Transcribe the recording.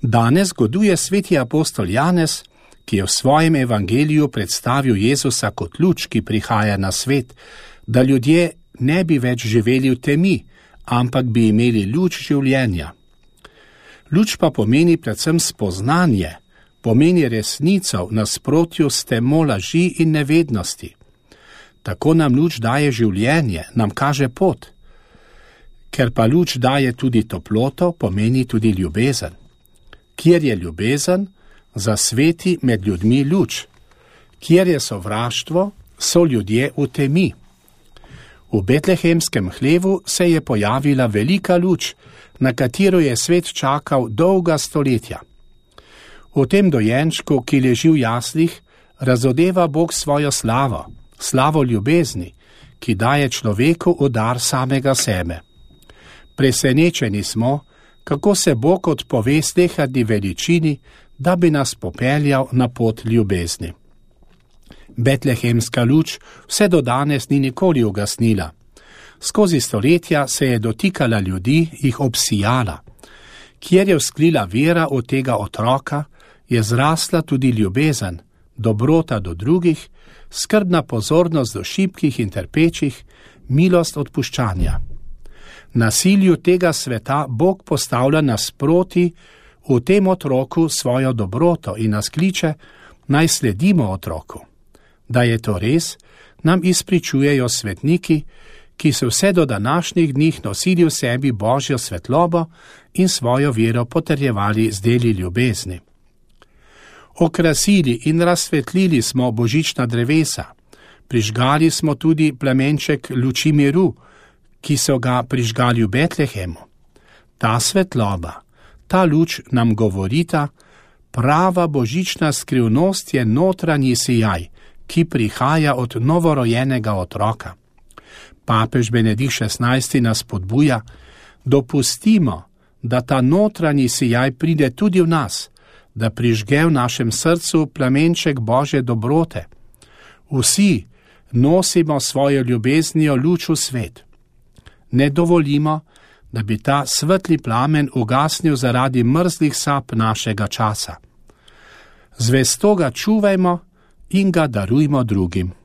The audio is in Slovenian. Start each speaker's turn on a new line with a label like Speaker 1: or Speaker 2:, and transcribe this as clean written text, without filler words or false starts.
Speaker 1: Danes goduje sveti apostol Janez, ki je v svojem evangeliju predstavil Jezusa kot luč, ki prihaja na svet, da ljudje ne bi več živeli v temi, ampak bi imeli luč življenja. Luč pa pomeni predvsem spoznanje, pomeni resnico v nasprotju s temo laži in nevednosti. Tako nam luč daje življenje, nam kaže pot. Ker pa luč daje tudi toploto, pomeni tudi ljubezen. Kjer je ljubezen, zasveti med ljudmi luč. Kjer je sovraštvo, so ljudje v temi. V betlehemskem hlevu se je pojavila velika luč, na katero je svet čakal dolga stoletja. V tem dojenčku, ki leži v jaslih, razodeva Bog svojo slavo, slavo ljubezni, ki daje človeku v dar samega sebe. Presenečeni smo, kako se Bog odpove slehani veličini, da bi nas popeljal na pot ljubezni. Betlehemska luč vse do danes ni nikoli ugasnila. Skozi stoletja se je dotikala ljudi, jih obsijala. Kjer je vzklila vera v tega otroka, je zrasla tudi ljubezen, dobrota do drugih, skrbna pozornost do šibkih in trpečih, milost odpuščanja. Nasilju tega sveta Bog postavlja nasproti v tem otroku svojo dobroto in nas kliče, naj sledimo otroku. Da je to res, nam izpričujejo svetniki, ki so vse do današnjih dni nosili v sebi Božjo svetlobo in svojo vero potrjevali z deli ljubezni. Okrasili in razsvetlili smo božična drevesa, prižgali smo tudi plamenček luči miru, ki so ga prižgali v Betlehemu. Ta svetloba, ta luč nam govorita, prava božična skrivnost je notranji sijaj, ki prihaja od novorojenega otroka. Papež Benedikt XVI nas spodbuja, dopustimo, da ta notranji sijaj pride tudi v nas, da prižge v našem srcu plamenček Božje dobrote. Vsi nosimo svojo ljubeznijo luč v svet. Ne dovolimo, da bi ta svetli plamen ugasnil zaradi mrzlih sap našega časa. Zvesto ga čuvajmo in ga darujmo drugim.